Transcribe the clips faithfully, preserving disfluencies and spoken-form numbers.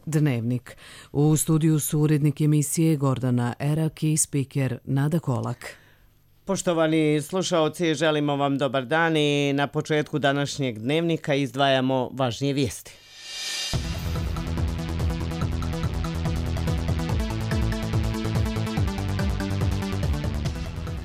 Dnevnik. U studiju su urednik emisije Gordana Erak i spiker Nada Kolak. Poštovani slušaoci, želimo vam dobar dan i na početku današnjeg dnevnika izdvajamo važnije vijesti.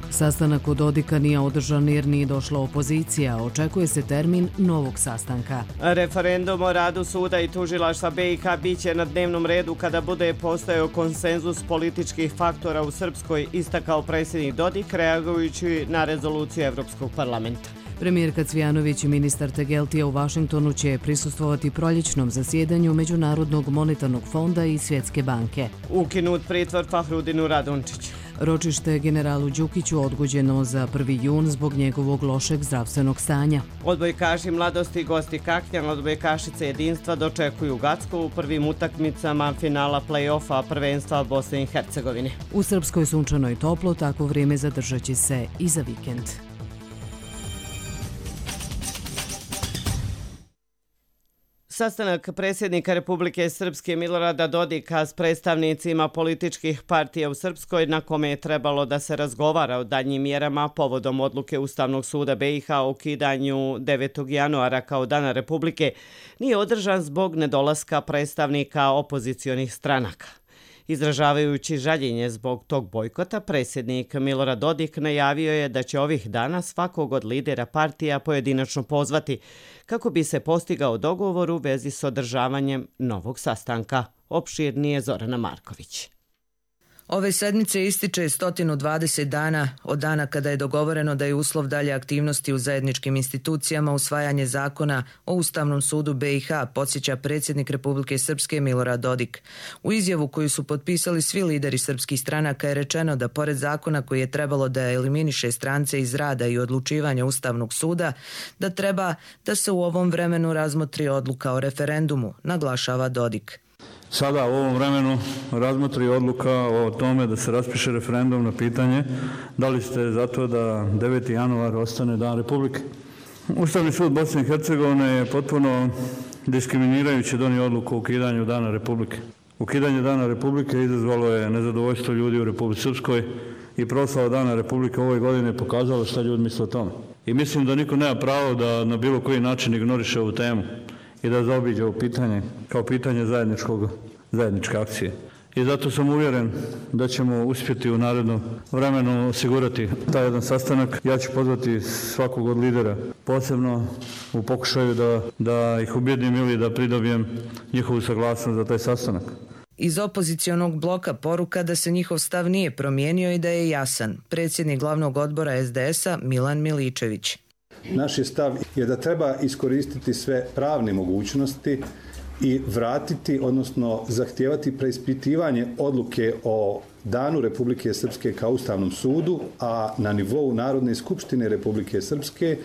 Sastanak u Dodika nije održan jer nije došla opozicija. Očekuje se termin novog sastanka. Referendum o radu suda i tužilaštva B i H biće na dnevnom redu kada bude postojao konsenzus političkih faktora u Srpskoj, istakao predsjednik Dodik reagujući na rezoluciju Evropskog parlamenta. Premijerka Cvijanović i ministar Tegeltija u Vašingtonu će prisustvovati proljećnom zasjedanju Međunarodnog monetarnog fonda i Svjetske banke. Ukinut pritvor Fahrudinu Radončiću. Ročište generalu Đukiću odgođeno za prvi jun zbog njegovog lošeg zdravstvenog stanja. Odbojkaši Mladosti i gosti Kaknjan, odbojkašice Jedinstva dočekuju Gacko u prvim utakmicama finala play-offa prvenstva Bosne i Hercegovine. U Srpskoj sunčano i toplo, takvo vrijeme zadržat će se i za vikend. Sastanak predsjednika Republike Srpske Milorada Dodika s predstavnicima političkih partija u Srpskoj, na kome je trebalo da se razgovara o daljnjim mjerama povodom odluke Ustavnog suda B i H o ukidanju devetog januara kao Dana Republike, nije održan zbog nedolaska predstavnika opozicionih stranaka. Izražavajući žaljenje zbog tog bojkota, predsjednik Milorad Dodik najavio je da će ovih dana svakog od lidera partija pojedinačno pozvati kako bi se postigao dogovor u vezi s održavanjem novog sastanka. Opširnije Zorana Marković. Ove sedmice ističe sto dvadeset dana od dana kada je dogovoreno da je uslov dalje aktivnosti u zajedničkim institucijama usvajanje zakona o Ustavnom sudu B i H, podsjeća predsjednik Republike Srpske Milorad Dodik. U izjavu koju su potpisali svi lideri srpskih stranaka je rečeno da pored zakona koji je trebalo da eliminiše strance iz rada i odlučivanja Ustavnog suda, da treba da se u ovom vremenu razmotri odluka o referendumu, naglašava Dodik. Sada u ovom vremenu razmotri odluka o tome da se raspiše referendum na pitanje da li ste za to da deveti januar ostane Dan Republike. Ustavni sud Bosne i Hercegovine je potpuno diskriminirajući donio odluku o ukidanju Dana Republike. Ukidanje Dana Republike izazvalo je nezadovoljstvo ljudi u Republici Srpskoj i proslava Dana Republike ove godine pokazalo šta ljudi misle o tome. I mislim da niko nema pravo da na bilo koji način ignoriše ovu temu i da zaobiđe ovo pitanje kao pitanje zajedničkog, zajedničke akcije. I zato sam uvjeren da ćemo uspjeti u narednom vremenu osigurati taj jedan sastanak. Ja ću pozvati svakog od lidera, posebno u pokušaju da, da ih ubjedim ili da pridobijem njihovu saglasnost za taj sastanak. Iz opozicionog bloka poruka da se njihov stav nije promijenio i da je jasan. Predsjednik glavnog odbora S D S-a Milan Miličević. Naš je stav je da treba iskoristiti sve pravne mogućnosti i vratiti, odnosno zahtijevati preispitivanje odluke o Danu Republike Srpske kao Ustavnom sudu, a na nivou Narodne skupštine Republike Srpske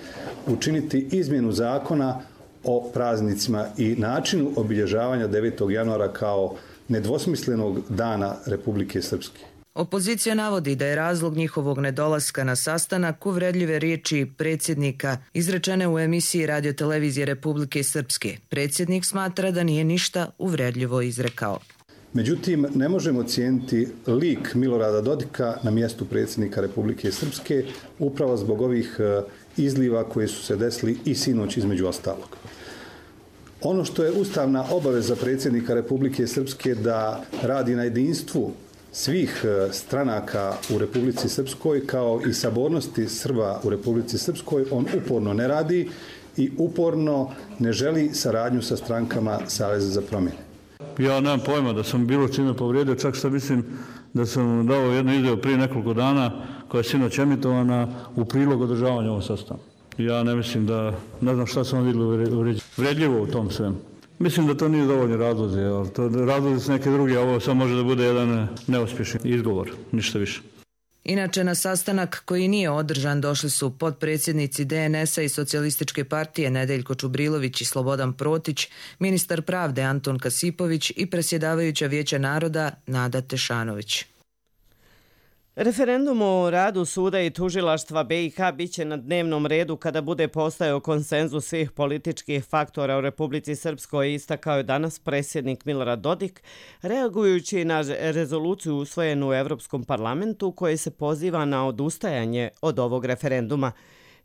učiniti izmjenu zakona o praznicima i načinu obilježavanja devetog januara kao nedvosmislenog Dana Republike Srpske. Opozicija navodi da je razlog njihovog nedolaska na sastanak uvredljive riječi predsjednika izrečene u emisiji Radiotelevizije Republike Srpske. Predsjednik smatra da nije ništa uvredljivo izrekao. Međutim, ne možemo cijeniti lik Milorada Dodika na mjestu predsjednika Republike Srpske upravo zbog ovih izliva koje su se desili i sinoć između ostalog. Ono što je ustavna obaveza predsjednika Republike Srpske da radi na jedinstvu svih stranaka u Republici Srpskoj kao i sabornosti Srba u Republici Srpskoj, on uporno ne radi i uporno ne želi saradnju sa strankama Saveza za promjene. Ja nemam pojma da sam bilo čime povrijedio, čak što mislim da sam dao jednu izjavu prije nekoliko dana koja je sinoć emitovana u prilog održavanja ovog sastanka. Ja ne mislim da, ne znam šta sam vidjeli uvredljivo u tom svemu. Mislim da to nije dovoljni razlozi, ali to razlozi su neke druge, a ovo samo može da bude jedan neuspješni izgovor, ništa više. Inače, na sastanak koji nije održan došli su potpredsjednici D N S-a i Socijalističke partije Nedeljko Čubrilović i Slobodan Protić, ministar pravde Anton Kasipović i predsjedavajuća Vijeća naroda Nada Tešanović. Referendum o radu suda i tužilaštva B i H biće na dnevnom redu kada bude postojao konsenzus svih političkih faktora u Republici Srpskoj, istakao je danas predsjednik Milorad Dodik, reagujući na rezoluciju usvojenu u Evropskom parlamentu koji se poziva na odustajanje od ovog referenduma.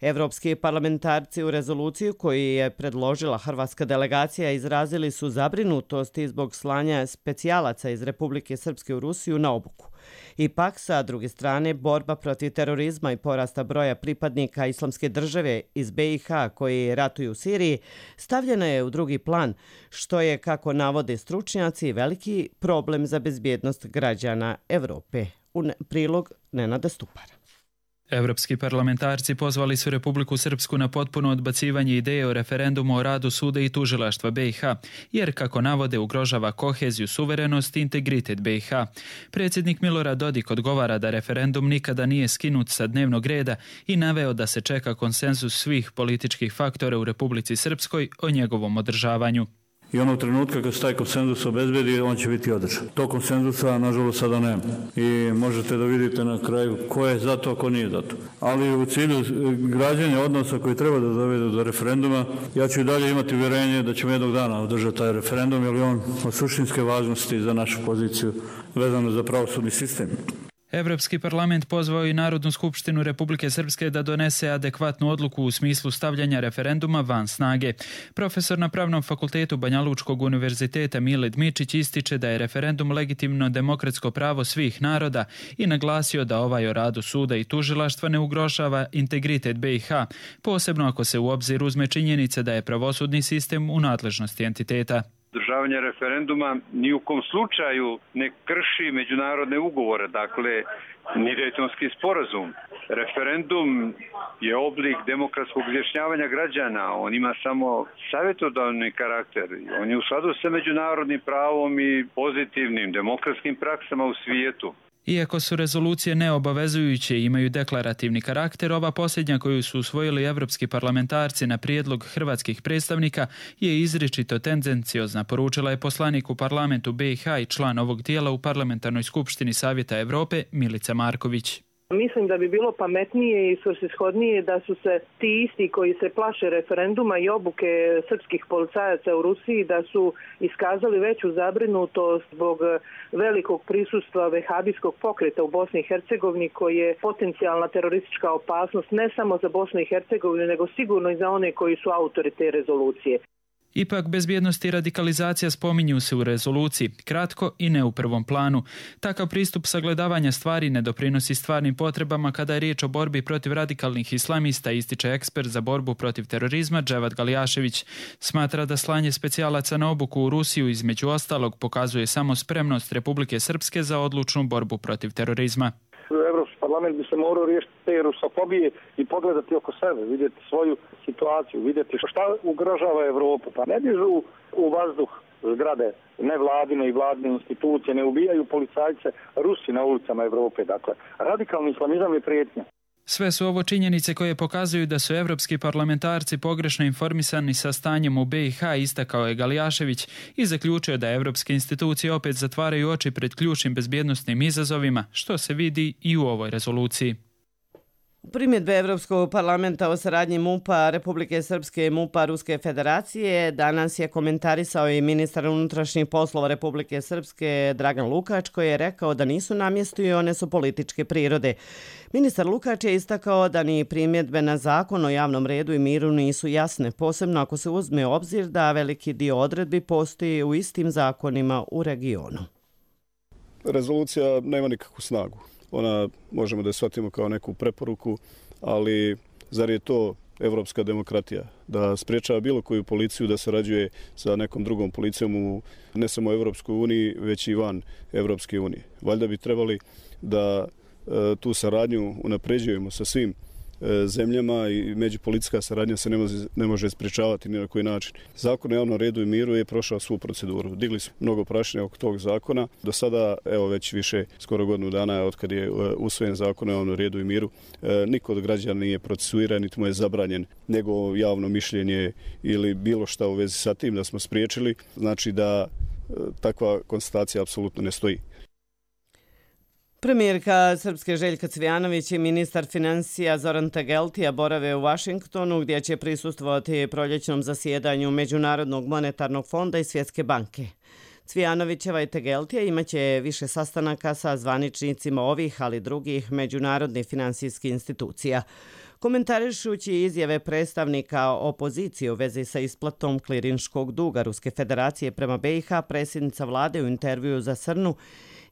Evropski parlamentarci u rezoluciju koju je predložila hrvatska delegacija izrazili su zabrinutost zbog slanja specijalaca iz Republike Srpske u Rusiju na obuku. Ipak, sa druge strane, borba protiv terorizma i porasta broja pripadnika Islamske države iz B i H koji ratuju u Siriji stavljena je u drugi plan, što je, kako navode stručnjaci, veliki problem za bezbjednost građana Evrope. U prilog Nenada Stupara. Evropski parlamentarci pozvali su Republiku Srpsku na potpuno odbacivanje ideje o referendumu o radu suda i tužilaštva B i H, jer, kako navode, ugrožava koheziju, suverenost i integritet B i H. Predsjednik Milorad Dodik odgovara da referendum nikada nije skinut sa dnevnog reda i naveo da se čeka konsenzus svih političkih faktora u Republici Srpskoj o njegovom održavanju. I onog trenutka kad se taj konsenzus obezbedi, on će biti održan. To konsenzusa, nažalost, sada nema. I možete da vidite na kraju ko je za to, a ko nije za to. Ali u cilju građenja odnosa koji treba da dovedu do referenduma, ja ću i dalje imati uvjerenje da ćemo jednog dana održati taj referendum, jer je on od suštinske važnosti za našu poziciju vezano za pravosudni sistem. Evropski parlament pozvao i Narodnu skupštinu Republike Srpske da donese adekvatnu odluku u smislu stavljanja referenduma van snage. Profesor na Pravnom fakultetu Banja Lučkog univerziteta Mile Dmičić ističe da je referendum legitimno demokratsko pravo svih naroda i naglasio da ovaj o radu suda i tužilaštva ne ugrožava integritet B i H, posebno ako se u obzir uzme činjenica da je pravosudni sistem u nadležnosti entiteta. Održavanje referenduma ni u kom slučaju ne krši međunarodne ugovore, dakle ni Dejtonski sporazum. Referendum je oblik demokratskog izjašnjavanja građana, on ima samo savjetodavni karakter, on je u skladu sa međunarodnim pravom i pozitivnim demokratskim praksama u svijetu. Iako su rezolucije neobavezujuće i imaju deklarativni karakter, ova posljednja koju su usvojili evropski parlamentarci na prijedlog hrvatskih predstavnika je izričito tendenciozna, poručila je poslanik u parlamentu B i H i član ovog tijela u Parlamentarnoj skupštini Savjeta Evrope Milica Marković. Mislim da bi bilo pametnije i svrsishodnije da su se ti isti koji se plaše referenduma i obuke srpskih policajaca u Rusiji da su iskazali veću zabrinutost zbog velikog prisustva vehabijskog pokreta u Bosni i Hercegovini koji je potencijalna teroristička opasnost ne samo za Bosnu i Hercegovinu nego sigurno i za one koji su autori te rezolucije. Ipak bezbjednost i radikalizacija spominju se u rezoluciji, kratko i ne u prvom planu. Takav pristup sagledavanja stvari ne doprinosi stvarnim potrebama kada je riječ o borbi protiv radikalnih islamista, ističe ekspert za borbu protiv terorizma Dževad Galjašević. Smatra da slanje specijalaca na obuku u Rusiju između ostalog pokazuje samo spremnost Republike Srpske za odlučnu borbu protiv terorizma. Evropski parlament bi se morao riješiti te rusofobije i pogledati oko sebe, vidjeti svoju situaciju, vidjeti šta ugrožava Evropu. Pa ne dižu u vazduh zgrade nevladine i vladine institucije, ne ubijaju policajce Rusi na ulicama Evrope. Dakle, radikalni islamizam je prijetnja. Sve su ovo činjenice koje pokazuju da su evropski parlamentarci pogrešno informisani sa stanjem u B i H, istakao je Galjašević i zaključio da evropske institucije opet zatvaraju oči pred ključnim bezbjednosnim izazovima, što se vidi i u ovoj rezoluciji. Primjedbe Evropskog parlamenta o saradnji MUP-a Republike Srpske i MUP-a Ruske federacije danas je komentarisao i ministar unutrašnjih poslova Republike Srpske Dragan Lukač, koji je rekao da nisu na mjestu i one su političke prirode. Ministar Lukač je istakao da ni primjedbe na zakon o javnom redu i miru nisu jasne, posebno ako se uzme obzir da veliki dio odredbi postoji u istim zakonima u regionu. Rezolucija nema nikakvu snagu. Ona možemo da je shvatimo kao neku preporuku, ali zar je to evropska demokratija? Da spriječava bilo koju policiju da sarađuje sa nekom drugom policijom u ne samo Evropskoj uniji, već i van Evropske unije. Valjda bi trebali da e, tu saradnju unapređujemo sa svim zemljama i međupolitička saradnja se ne može, ne može spriječavati ni na koji način. Zakon o javnom redu i miru je prošao svu proceduru. Digli smo mnogo prašine oko tog zakona. Do sada, evo već više, skoro godinu dana od kad je usvojen zakon o javnom redu i miru, niko od građana nije procesuiran, niti mu je zabranjen njegovo javno mišljenje ili bilo šta u vezi sa tim da smo spriječili. Znači da takva konstatacija apsolutno ne stoji. Premijerka Srpske Željka Cvijanović i ministar financija Zoran Tegeltija borave u Vašingtonu gdje će prisustvovati proljećnom zasjedanju Međunarodnog monetarnog fonda i Svjetske banke. Cvijanovićeva i Tegeltija imaće više sastanaka sa zvaničnicima ovih, ali drugih međunarodnih finansijskih institucija. Komentarišući izjave predstavnika opozicije u vezi sa isplatom klirinškog duga Ruske federacije prema B i H, predsjednica vlade u intervjuu za Srnu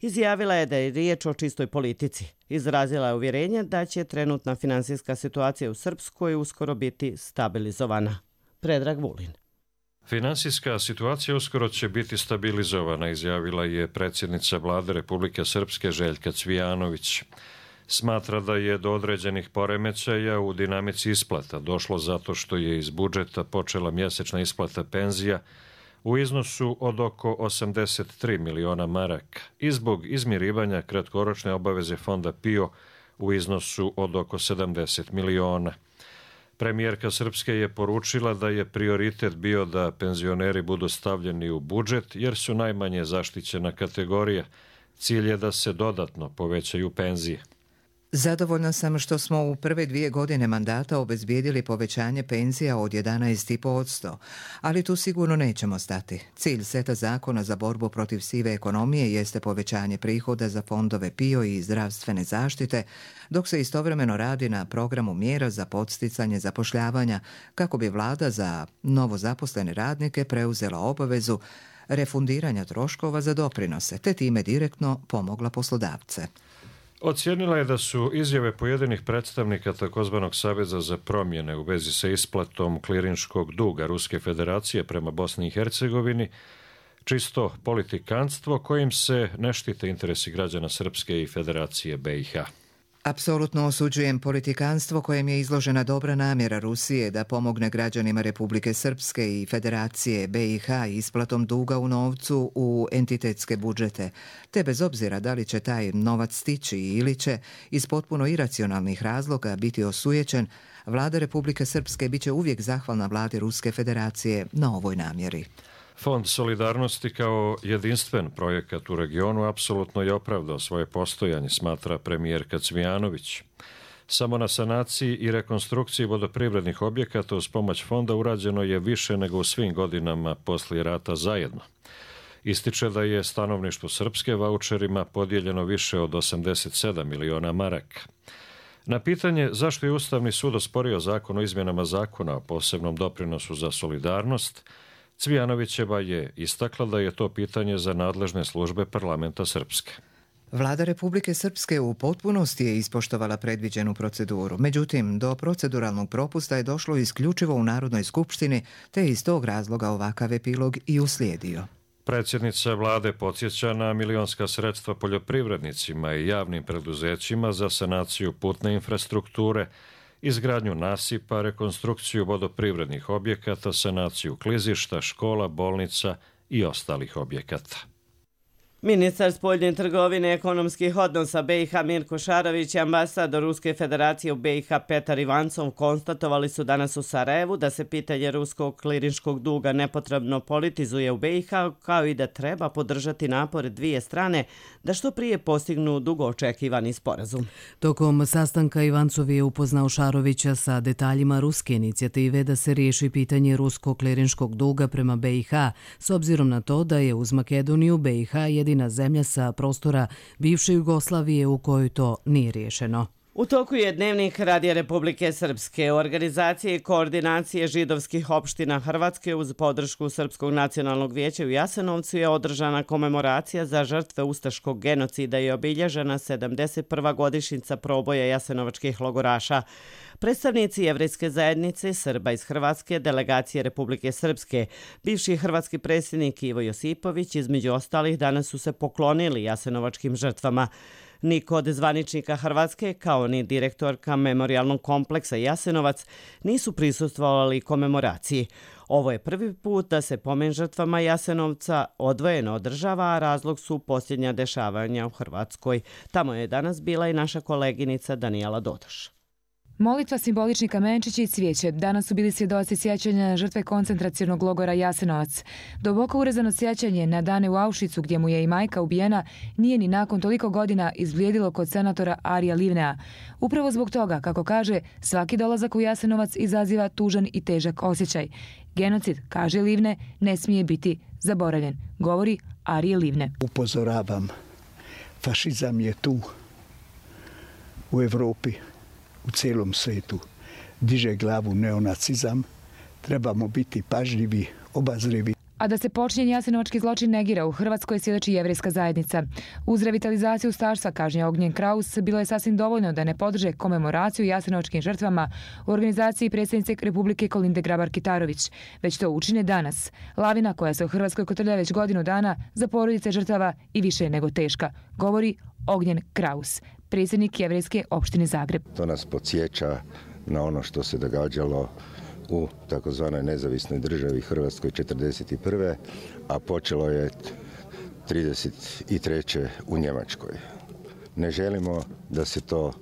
izjavila je da je riječ o čistoj politici. Izrazila je uvjerenje da će trenutna finansijska situacija u Srpskoj uskoro biti stabilizovana. Predrag Vulin. Finansijska situacija uskoro će biti stabilizovana, izjavila je predsjednica vlade Republike Srpske Željka Cvijanović. Smatra da je do određenih poremećaja u dinamici isplata došlo zato što je iz budžeta počela mjesečna isplata penzija u iznosu od oko osamdeset tri miliona maraka i zbog izmirivanja kratkoročne obaveze fonda P I O u iznosu od oko sedamdeset miliona. Premijerka Srpske je poručila da je prioritet bio da penzioneri budu stavljeni u budžet jer su najmanje zaštićena kategorija. Cilj je da se dodatno povećaju penzije. Zadovoljna sam što smo u prve dvije godine mandata obezbijedili povećanje penzija od jedanaest zarez pet posto, ali tu sigurno nećemo stati. Cilj seta zakona za borbu protiv sive ekonomije jeste povećanje prihoda za fondove P I O i zdravstvene zaštite, dok se istovremeno radi na programu mjera za podsticanje zapošljavanja kako bi vlada za novo zaposlene radnike preuzela obavezu refundiranja troškova za doprinose, te time direktno pomogla poslodavce. Ocijenila je da su izjave pojedinih predstavnika takozvanog Saveza za promjene u vezi sa isplatom klirinškog duga Ruske federacije prema Bosni i Hercegovini čisto politikanstvo kojim se ne štite interesi građana Srpske i Federacije B i H. Apsolutno osuđujem politikanstvo kojem je izložena dobra namjera Rusije da pomogne građanima Republike Srpske i Federacije B i H isplatom duga u novcu u entitetske budžete, te bez obzira da li će taj novac stići ili će iz potpuno iracionalnih razloga biti osujećen, vlada Republike Srpske bit će uvijek zahvalna vladi Ruske federacije na ovoj namjeri. Fond solidarnosti kao jedinstven projekat u regionu apsolutno je opravdao svoje postojanje, smatra premijerka Cvijanović. Samo na sanaciji i rekonstrukciji vodoprivrednih objekata uz pomoć fonda urađeno je više nego u svim godinama poslije rata zajedno. Ističe da je stanovništvo Srpske vaučerima podijeljeno više od osamdeset sedam miliona maraka. Na pitanje zašto je Ustavni sud osporio zakon o izmjenama zakona o posebnom doprinosu za solidarnost, Cvijanovićeva je istakla da je to pitanje za nadležne službe parlamenta Srpske. Vlada Republike Srpske u potpunosti je ispoštovala predviđenu proceduru. Međutim, do proceduralnog propusta je došlo isključivo u Narodnoj skupštini, te iz tog razloga ovakav epilog i uslijedio. Predsjednica vlade podsjeća na milionska sredstva poljoprivrednicima i javnim preduzećima za sanaciju putne infrastrukture, izgradnju nasipa, rekonstrukciju vodoprivrednih objekata, sanaciju klizišta, škola, bolnica i ostalih objekata. Ministar spoljne trgovine i ekonomskih odnosa B i H Mirko Šarović i ambasador Ruske federacije u B i H Petar Ivancov konstatovali su danas u Sarajevu da se pitanje ruskog klirinškog duga nepotrebno politizuje u B i H, kao i da treba podržati napore dvije strane da što prije postignu dugo očekivani sporazum. Tokom sastanka Ivancov je upoznao Šarovića sa detaljima ruske inicijative da se riješi pitanje ruskog klirinškog duga prema B i H, s obzirom na to da je uz Makedoniju B i H jedina zemlja sa prostora bivše Jugoslavije u kojoj to nije riješeno. U toku je dnevnik Radija Republike Srpske. U organizaciji koordinacije židovskih opština Hrvatske uz podršku Srpskog nacionalnog vijeća u Jasenovcu je održana komemoracija za žrtve ustaškog genocida i obilježena sedamdeset prva godišnjica proboja jasenovačkih logoraša. Predstavnici jevrejske zajednice, Srba iz Hrvatske, delegacije Republike Srpske, bivši hrvatski predsjednik Ivo Josipović, između ostalih, danas su se poklonili jasenovačkim žrtvama. Niko od zvaničnika Hrvatske, kao ni direktorka memorijalnog kompleksa Jasenovac, nisu prisustvovali komemoraciji. Ovo je prvi put da se pomen žrtvama Jasenovca odvojeno održava, a razlog su posljednja dešavanja u Hrvatskoj. Tamo je danas bila i naša koleginica Danijela Dodoš. Molitva, simbolični kamenčići i cvijeće danas su bili svjedoci sjećanja žrtve koncentracionog logora Jasenovac. Duboko urezano sjećanje na dane u Auschwitzu gdje mu je i majka ubijena nije ni nakon toliko godina izblijedilo kod senatora Arija Livnea. Upravo zbog toga, kako kaže, svaki dolazak u Jasenovac izaziva tužan i težak osjećaj. Genocid, kaže Livne, ne smije biti zaboravljen, govori Arije Livne. Upozoravam, fašizam je tu u Evropi, u cijelom svijetu. Diže glavu neonacizam, trebamo biti pažljivi, obazrivi. A da se počinjen jasenovački zločin negira, u Hrvatskoj svjedoči jevrejska zajednica. Uz revitalizaciju ustaštva, kaže Ognjen Kraus, bilo je sasvim dovoljno da ne podrže komemoraciju jasenovačkim žrtvama u organizaciji predsjednice Republike Kolinde Grabar-Kitarović, već to učine danas. Lavina koja se u Hrvatskoj kotrlja već godinu dana za porodice žrtava i više nego teška, govori Ognjen Kraus, predsjednik jevrejske opštine Zagreb. To nas podsjeća na ono što se događalo u takozvanoj nezavisnoj državi Hrvatskoj četrdeset prve. a počelo je trideset treće u Njemačkoj. Ne želimo da se to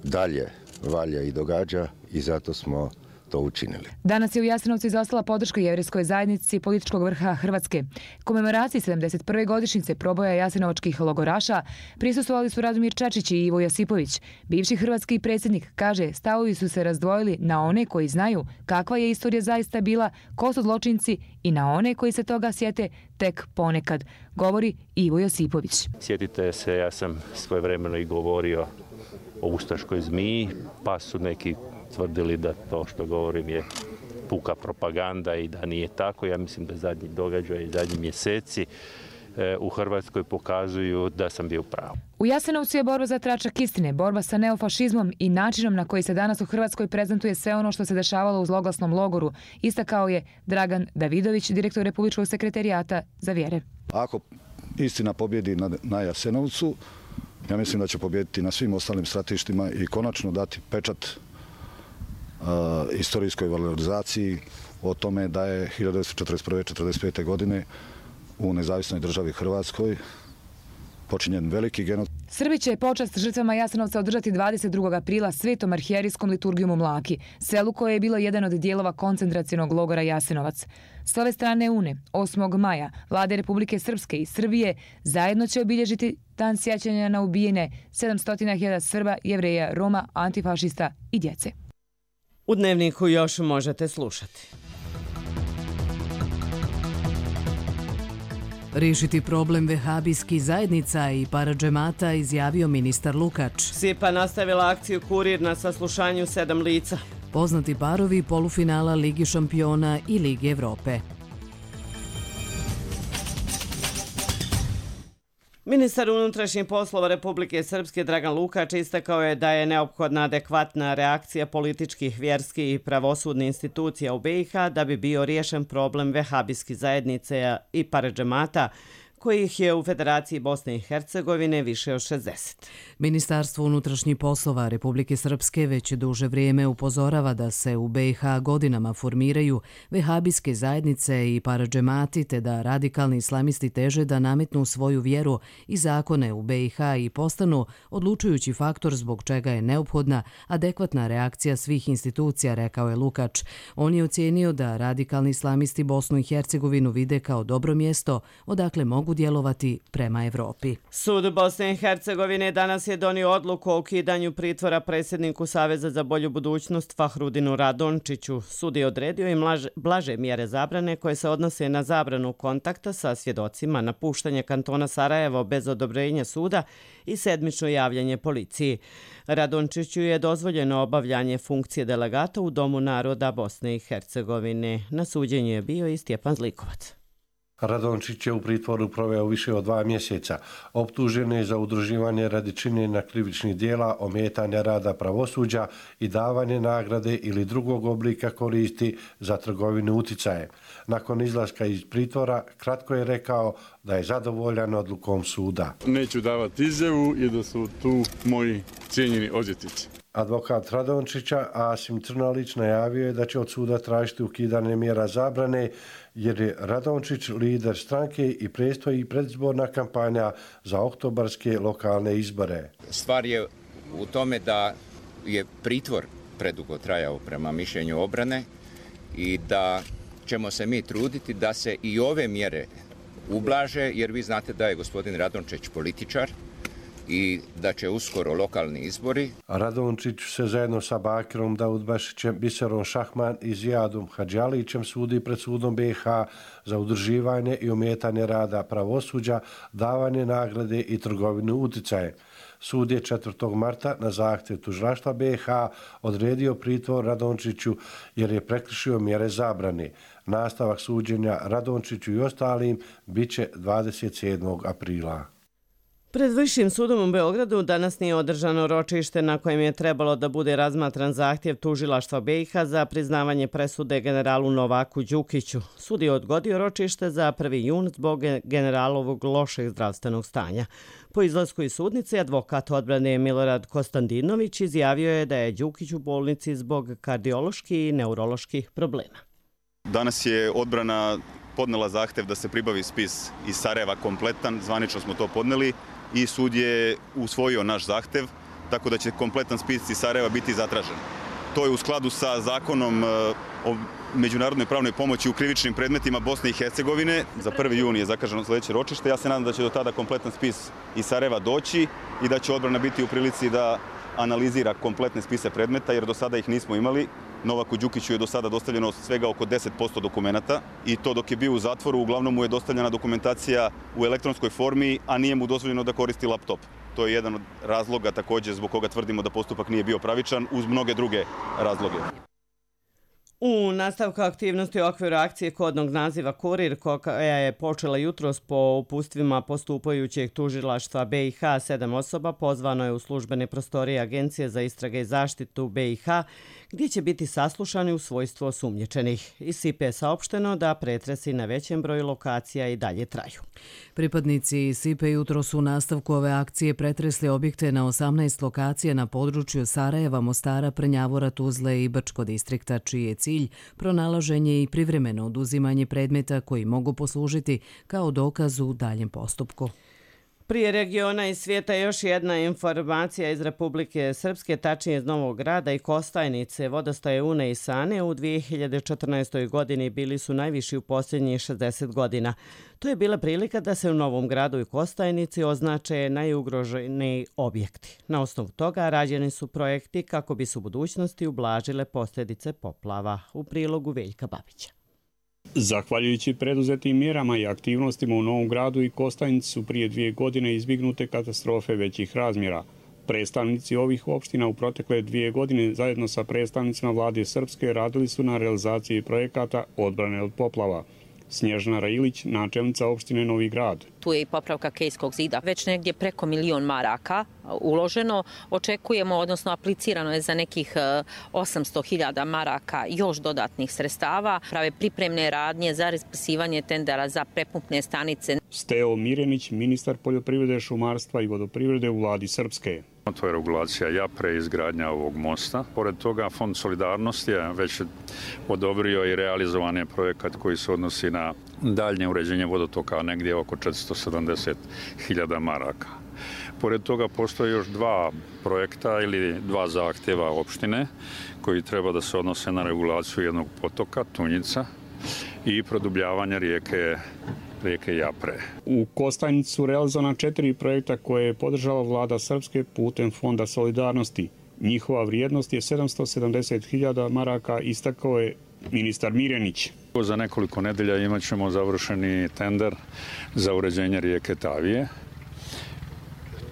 dalje valja i događa i zato smo to učinili. Danas je u Jasenovcu izostala podrška jevrejskoj zajednici političkog vrha Hrvatske. Komemoraciji sedamdeset prve godišnjice proboja jasenovačkih logoraša prisustvovali su Radomir Čačić i Ivo Josipović. Bivši hrvatski predsjednik kaže, stavovi su se razdvojili na one koji znaju kakva je istorija zaista bila, ko su zločinci, i na one koji se toga sjete tek ponekad, govori Ivo Josipović. Sjetite se, ja sam svojevremeno i govorio o ustaškoj zmiji, pa su neki tvrdili da to što govorim je puka propaganda i da nije tako. Ja mislim da zadnji događaj i zadnji mjeseci e, u Hrvatskoj pokazuju da sam bio pravo. U Jasenovcu je borba za tračak istine, borba sa neofašizmom i načinom na koji se danas u Hrvatskoj prezentuje sve ono što se dešavalo u zloglasnom logoru, istakao je Dragan Davidović, direktor Republičkog sekretarijata za vjere. Ako istina pobjedi na, na Jasenovcu, ja mislim da će pobijediti na svim ostalim stratištima i konačno dati pečat uh, istorijskoj valorizaciji o tome da je hiljadu devetsto četrdeset prve do četrdeset pete. godine u nezavisnoj državi Hrvatskoj počinjen veliki genocid. Srbi će počast žrtvama Jasenovca održati dvadeset drugog aprila svetom arhijerijskom liturgijom u Mlaki, selu koje je bilo jedan od dijelova koncentracionog logora Jasenovac. S ove strane Une, osmog maja, vlade Republike Srpske i Srbije zajedno će obilježiti dan sjećanja na ubijene sedamsto hiljada Srba, Jevreja, Roma, antifašista i djece. U Dnevniku još možete slušati. Riješiti problem vehabijskih zajednica i paradžemata izjavio ministar Lukač. Sipa nastavila akciju Kurir na saslušanju sedam lica. Poznati parovi polufinala Ligi šampiona i Lige Evrope. Ministar unutrašnjih poslova Republike Srpske Dragan Lukač istakao je da je neophodna adekvatna reakcija političkih, vjerskih i pravosudnih institucija u be i ha da bi bio riješen problem vehabijskih zajednice i paradžemata, kojih je u Federaciji Bosne i Hercegovine više od šezdeset. Ministarstvo unutrašnjih poslova Republike Srpske već duže vrijeme upozorava da se u be i ha godinama formiraju vehabijske zajednice i paradžemati, te da radikalni islamisti teže da nametnu svoju vjeru i zakone u be i ha i postanu odlučujući faktor zbog čega je neophodna adekvatna reakcija svih institucija, rekao je Lukač. On je ocijenio da radikalni islamisti Bosnu i Hercegovinu vide kao dobro mjesto odakle mogu djelovati prema Evropi. Sud Bosne i Hercegovine danas je donio odluku o ukidanju pritvora predsjedniku Saveza za bolju budućnost Fahrudinu Radončiću. Sud je odredio i mlaže, blaže mjere zabrane koje se odnose na zabranu kontakta sa svjedocima, napuštanje kantona Sarajevo bez odobrenja suda i sedmično javljanje policiji. Radončiću je dozvoljeno obavljanje funkcije delegata u Domu naroda Bosne i Hercegovine. Na suđenju je bio i Stjepan Zlikovac. Radončić je u pritvoru proveo više od dva mjeseca. Optužen je za udruživanje radi činjenja krivičnih dijela, ometanja rada pravosuđa i davanje nagrade ili drugog oblika koristi za trgovinu uticajem. Nakon izlaska iz pritvora, kratko je rekao da je zadovoljan odlukom suda. Neću davati izjavu i da su tu moji cijenjeni odvjetnici. Advokat Radončića Asim Crnolić najavio je da će od suda tražiti ukidanje mjera zabrane jer je Radončić lider stranke i predstoji predizborna kampanja za oktobarske lokalne izbore. Stvar je u tome da je pritvor predugo trajao prema mišljenju obrane i da ćemo se mi truditi da se i ove mjere ublaže, jer vi znate da je gospodin Radončić političar i da će uskoro lokalni izbori. Radončić se zajedno sa Bakirom Daudbašićem, Biserom Šahman i Zijadom Hadžalićem sudi pred sudom B i H za udruživanje i ometanje rada pravosuđa, davanje nagrade i trgovinu uticaje. Sud je četvrtog marta na zahtjev tužilaštva B i H odredio pritvor Radončiću jer je prekršio mjere zabrane. Nastavak suđenja Radončiću i ostalim bit će dvadeset sedmog aprila. Pred Višim sudom u Beogradu danas nije održano ročište na kojem je trebalo da bude razmatran zahtjev tužilaštva B i H za priznavanje presude generalu Novaku Đukiću. Sud je odgodio ročište za prvi jun zbog generalovog lošeg zdravstvenog stanja. Po izlasku iz sudnice, advokat odbrane Milorad Kostandinović izjavio je da je Đukić u bolnici zbog kardioloških i neuroloških problema. Danas je odbrana podnela zahtev da se pribavi spis iz Sarajeva kompletan, zvanično smo to podneli i sud je usvojio naš zahtev, tako da će kompletan spis iz Sarajeva biti zatražen. To je u skladu sa zakonom o međunarodnoj pravnoj pomoći u krivičnim predmetima Bosne i Hercegovine. Za prvi jun je zakaženo sljedeće ročište. Ja se nadam da će do tada kompletan spis iz Sarajeva doći i da će odbrana biti u prilici da analizira kompletne spise predmeta, jer do sada ih nismo imali. Novaku Đukiću je do sada dostavljeno svega oko deset posto dokumenata i to dok je bio u zatvoru, uglavnom mu je dostavljena dokumentacija u elektronskoj formi, a nije mu dozvoljeno da koristi laptop. To je jedan od razloga također zbog koga tvrdimo da postupak nije bio pravičan, uz mnoge druge razloge. U nastavku aktivnosti u okviru akcije kodnog naziva Kurir, koja je počela jutros po upustvima postupajućeg tužilaštva B i H, sedam osoba pozvano je u službene prostorije Agencije za istrage i zaštitu B i H, gdje će biti saslušani u svojstvo osumnjičenih. Iz S I P-a je saopšteno da pretresi na većem broju lokacija i dalje traju. Pripadnici S I P-a jutro su u nastavku ove akcije pretresli objekte na osamnaest lokacija na području Sarajeva, Mostara, Prnjavora, Tuzle i Brčko distrikta, čiji je cilj pronalaženje i privremeno oduzimanje predmeta koji mogu poslužiti kao dokaz u daljem postupku. Prije regiona i svijeta još jedna informacija iz Republike Srpske, tačnije iz Novog Grada i Kostajnice. Vodostaje Une i Sane u dvije hiljade četrnaestoj. godini bili su najviši u posljednjih šezdeset godina. To je bila prilika da se u Novom Gradu i Kostajnici označe najugroženiji objekti. Na osnovu toga rađeni su projekti kako bi se u budućnosti ublažile posljedice poplava. U prilogu Veljka Babića. Zahvaljujući preduzetim mjerama i aktivnostima u Novom Gradu i Kostajnici su prije dvije godine izbjegnute katastrofe većih razmjera. Predstavnici ovih opština u protekle dvije godine zajedno sa predstavnicima vlade Srpske radili su na realizaciji projekata odbrane od poplava. Snježana Railić, načelnica opštine Novi Grad. Tu je i popravka Kejskog zida. Već negdje preko milion maraka uloženo. Očekujemo, odnosno aplicirano je za nekih osamsto hiljada maraka još dodatnih sredstava. Prave pripremne radnje za raspisivanje tendera za prepumpne stanice. Steo Mirenić, ministar poljoprivrede, šumarstva i vodoprivrede u vladi Srpske. To je regulacija Japre i izgradnja ovog mosta. Pored toga, Fond solidarnosti je već odobrio i realizovan je projekat koji se odnosi na daljnje uređenje vodotoka, negdje oko četiristo sedamdeset hiljada maraka. Pored toga postoje još dva projekta ili dva zahtjeva opštine koji treba da se odnose na regulaciju jednog potoka, Tunjica, i produbljavanje rijeke rijeke Japre. U Kostajnici su realizovana četiri projekta koje je podržala vlada Srpske putem Fonda solidarnosti. Njihova vrijednost je sedamsto sedamdeset hiljada maraka, istakao je ministar Mirenić. Za nekoliko nedelja imat ćemo završeni tender za uređenje rijeke Tavije.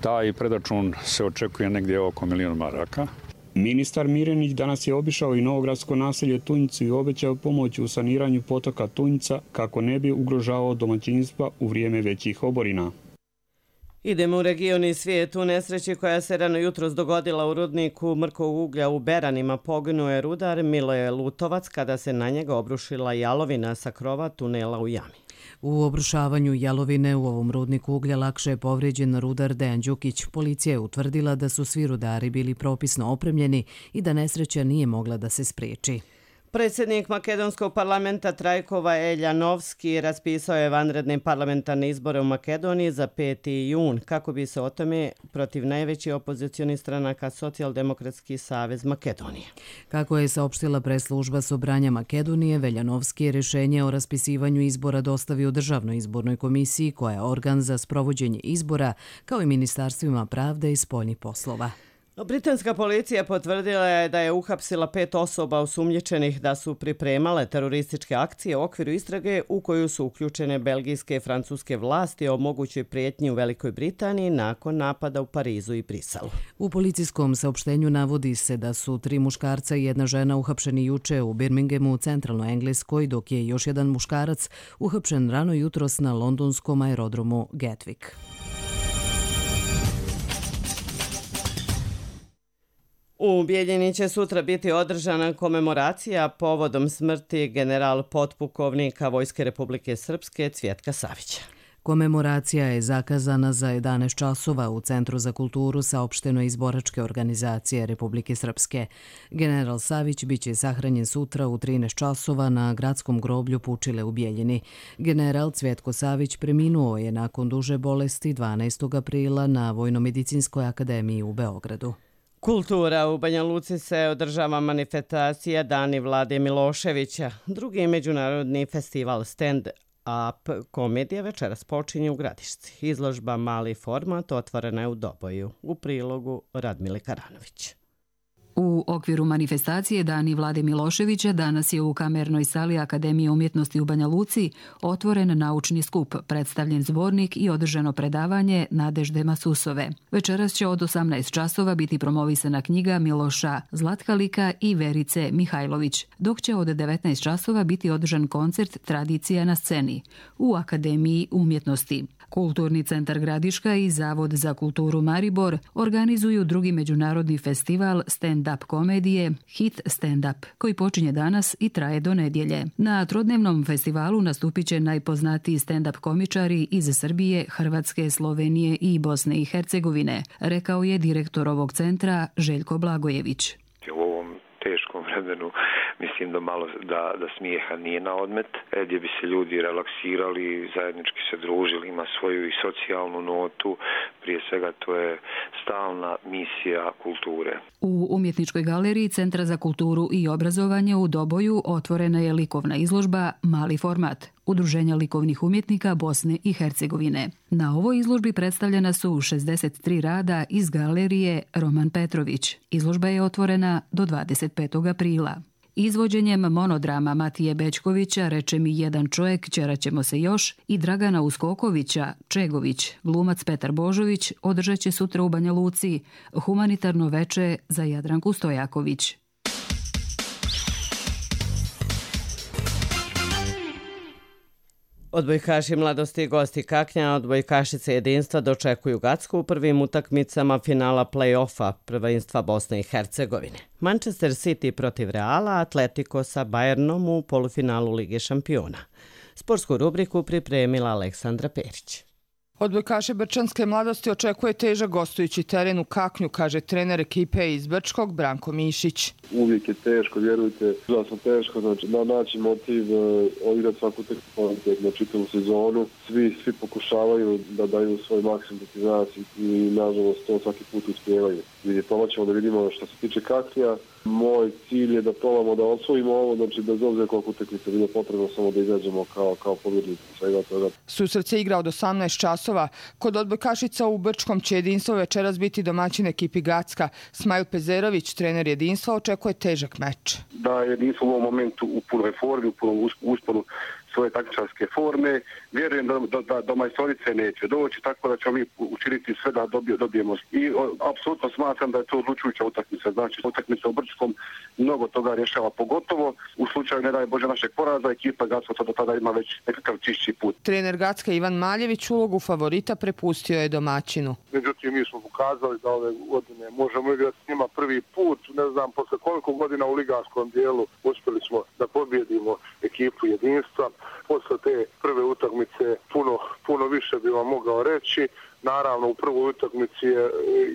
Taj predračun se očekuje negdje oko milion maraka. Ministar Mirenić danas je obišao i novogradsko naselje Tunjicu i obećao pomoć u saniranju potoka Tunjica kako ne bi ugrožavao domaćinstva u vrijeme većih oborina. Idemo u region i svijet. U nesreći koja se rano jutros dogodila u rudniku mrkog uglja u Beranima poginuo je rudar Miloje Lutovac kada se na njega obrušila jalovina sa krova tunela u jami. U obrušavanju jalovine u ovom rudniku uglja lakše je povrijeđen rudar Dejan Đukić. Policija je utvrdila da su svi rudari bili propisno opremljeni i da nesreća nije mogla da se spriječi. Predsjednik makedonskog parlamenta Trajkova Eljanovski raspisao je vanredne parlamentarne izbore u Makedoniji za peti jun, kako bi se o tome protiv najveći opozicioni stranaka Socijaldemokratski savez Makedonije. Kako je saopštila preslužba Sobranja Makedonije, Veljanovski je rješenje o raspisivanju izbora dostavio Državnoj izbornoj komisiji, koja je organ za sprovođenje izbora, kao i ministarstvima pravde i spoljnih poslova. Britanska policija potvrdila je da je uhapsila pet osoba osumnjičenih da su pripremale terorističke akcije u okviru istrage u koju su uključene belgijske i francuske vlasti o mogućoj prijetnji u Velikoj Britaniji nakon napada u Parizu i Briselu. U policijskom saopštenju navodi se da su tri muškarca i jedna žena uhapšeni juče u Birminghamu u centralnoj Engleskoj, dok je još jedan muškarac uhapšen rano jutros na londonskom aerodromu Gatwick. U Bijeljini će sutra biti održana komemoracija povodom smrti general potpukovnika Vojske Republike Srpske Cvjetka Savića. Komemoracija je zakazana za jedanaest časova u Centru za kulturu, saopšteno iz boračke organizacije Republike Srpske. General Savić biće sahranjen sutra u trinaest časova na gradskom groblju Pučile u Bijeljini. General Cvjetko Savić preminuo je nakon duže bolesti dvanaestog aprila na Vojnomedicinskoj akademiji u Beogradu. Kultura u Banja Luci se održava manifestacija Dani Vlade Miloševića. Drugi međunarodni festival Stand Up komedija večeras počinje u Gradišci. Izložba Mali format otvorena je u Doboju. U prilogu Radmile Karanović. U okviru manifestacije Dani Vlade Miloševića danas je u kamernoj sali Akademije umjetnosti u Banja Luci otvoren naučni skup, predstavljen zbornik i održano predavanje Nadežde Masusove. Večeras će od osamnaest časova biti promovisana knjiga Miloša Zlatkalika i Verice Mihajlović, dok će od devetnaest časova biti održan koncert Tradicija na sceni u Akademiji umjetnosti. Kulturni centar Gradiška i Zavod za kulturu Maribor organizuju drugi međunarodni festival stand-up komedije Hit Stand-up, koji počinje danas i traje do nedjelje. Na trodnevnom festivalu nastupit će najpoznatiji stand-up komičari iz Srbije, Hrvatske, Slovenije i Bosne i Hercegovine, rekao je direktor ovog centra Željko Blagojević. U ovom teškom vremenu mislim da malo da, da smijeha nije na odmet, gdje bi se ljudi relaksirali, zajednički se družili, ima svoju i socijalnu notu, prije svega to je stalna misija kulture. U Umjetničkoj galeriji Centra za kulturu i obrazovanje u Doboju otvorena je likovna izložba Mali format Udruženja likovnih umjetnika Bosne i Hercegovine. Na ovoj izložbi predstavljena su šezdeset tri rada iz galerije Roman Petrović. Izložba je otvorena do dvadeset petog aprila. Izvođenjem monodrama Matije Bećkovića Reče mi jedan čovjek, ćeraćemo se još i Dragana Uskokovića Čegović, glumac Petar Božović održat će sutra u Banja Luci humanitarno veče za Jadranku Stojaković. Odbojkaši Mladosti i gosti Kaknja, odbojkašice Jedinstva dočekuju Gacku u prvim utakmicama finala play-offa prvenstva Bosne i Hercegovine. Manchester City protiv Reala, Atletico sa Bayernom u polufinalu Lige šampiona. Sportsku rubriku pripremila Aleksandra Perić. Odbojkaše Brčanske Mladosti očekuje težak gostujući teren u Kaknju, kaže trener ekipe iz Brčkog Branko Mišić. Uvijek je teško, vjerujte, užasno teško, znači da naći motiv, odigrati svaku tekstu na čitavu sezonu. Svi, svi pokušavaju da daju svoj maksimum do nas i nažalost to svaki put uspijevaju. Vidite, pomoćemo da vidimo što se tiče Kaknja. Moj cilj je da probamo da osvojimo ovo, znači bez obzira koliko utakmica bilo potrebno, samo da izađemo kao, kao pobjednici svega toga. Susret se igra od osamnaest časova. Kod odbojkašica u Brčkom će Jedinstvo večeras biti domaćin ekipi Gacka. Smajl Pezerović, trener Jedinstva, očekuje težak meč. Da Jedinstvo u ovom momentu u punoj formi, u punom usponu svoje taktičarske forme. Vjerujem da, da, da do majstorice neće doći, tako da ćemo mi učiniti sve da dobije, dobijemo. I apsolutno smatram da je to odlučujuća utakmica. Znači, utakmica u Brčkom mnogo toga rješava, pogotovo u slučaju, ne daj Bože, našeg poraza, ekipa Gacka do tada ima već nekakav čišći put. Trener Gacka Ivan Maljević ulogu favorita prepustio je domaćinu. Međutim, mi smo pokazali da ove godine možemo igrati s njima prvi put. Ne znam, posle koliko godina u ligarskom dijelu uspjeli smo da pobjedimo ekipu Jedinstva. Posle te prve utakmice puno, puno više bi vam mogao reći. Naravno, u prvoj utakmici je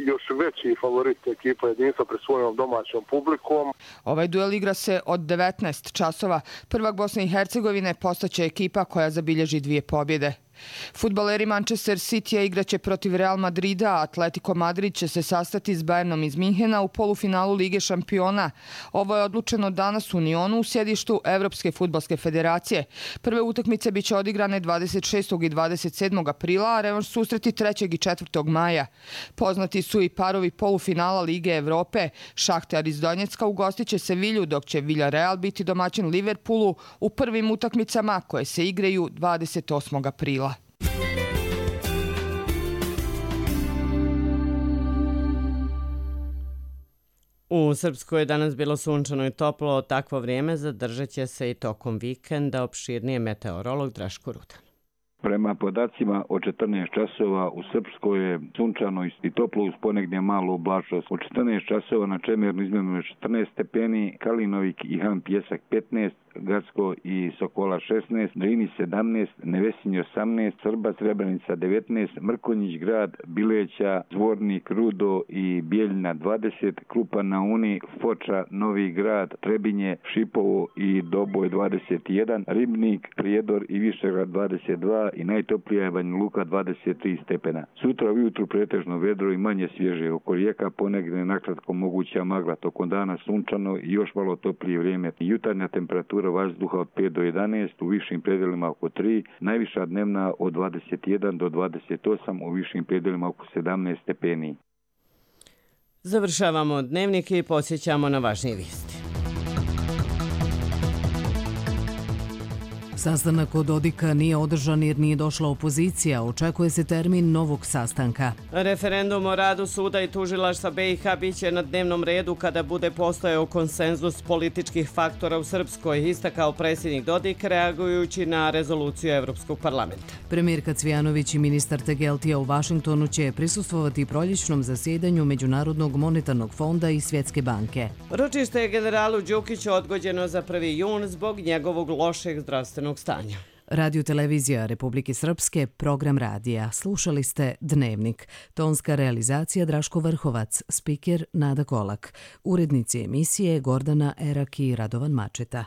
još veći favorit ekipa Jedinstva pred svojom domaćom publikom. Ovaj duel igra se od devetnaest časova. Prvak Bosne i Hercegovine postaće ekipa koja zabilježi dvije pobjede. Fudbaleri Manchester City igraće protiv Real Madrida, a Atletico Madrid će se sastati s Bayernom iz Minhena u polufinalu Lige šampiona. Ovo je odlučeno danas u Nionu u sjedištu Evropske fudbalske federacije. Prve utakmice biće odigrane dvadeset šestog i dvadeset sedmog aprila, a revanš susreti trećeg i četvrtog maja. Poznati su i parovi polufinala Lige Evrope. Šahtar iz Donjecka ugostit će Sevilju, dok će Villarreal biti domaćin Liverpoolu u prvim utakmicama koje se igraju dvadeset osmog aprila. U Srpskoj je danas bilo sunčano i toplo, takvo vrijeme zadržat će se i tokom vikenda, opširnije meteorolog Draško Rudan. Prema podacima od četrnaest časova u Srpskoj je sunčano i toplo uz ponegnje malu oblačnost. Od četrnaest časova na Čemernu izmjereno četrnaest stepeni, Kalinovik i Han Pjesak petnaest, Gacko i Sokola šesnaest, Drini sedamnaest, Nevesinj osamnaest, Srba Srebrenica devetnaest, Mrkonjić grad, Bileća, Zvornik, Rudo i Bijeljina dvadeset, Krupan na Uni, Foča, Novi grad, Trebinje, Šipovo i Doboj dvadeset jedan, Ribnik, Prijedor i Višegrad dvadeset dva i najtoplija je Banja Luka dvadeset tri stepena. Sutra ujutru pretežno vedro i manje svježe, oko rijeka ponegne nakratko moguća magla, tokom dana sunčano i još malo toplije vrijeme. Jutarnja temperatura vazduha od pet do jedanaest, u višim predelima oko tri, najviša dnevna od dvadeset jedan do dvadeset osam, u višim predelima oko sedamnaest stepeni. Završavamo dnevnik i podsjećamo na važnije vijesti. Sastanak od Dodika nije održan jer nije došla opozicija. Očekuje se termin novog sastanka. Referendum o radu suda i tužilaštva B i H biće na dnevnom redu kada bude postojao konsenzus političkih faktora u Srpskoj, istakao predsjednik Dodik reagujući na rezoluciju Evropskog parlamenta. Premijerka Cvijanović i ministar Tegeltija u Vašingtonu će prisustvovati proljećnom zasjedanju Međunarodnog monetarnog fonda i Svjetske banke. Ročište je generalu Đukiću odgođeno za prvi jun zbog njegovog lošeg zdravstvenog stanja. Radio televizija Republike Srpske, program radija. Slušali ste Dnevnik. Tonska realizacija Draško Vrhovac, spiker Nada Kolak. Urednici emisije Gordana Erak i Radovan Mačeta.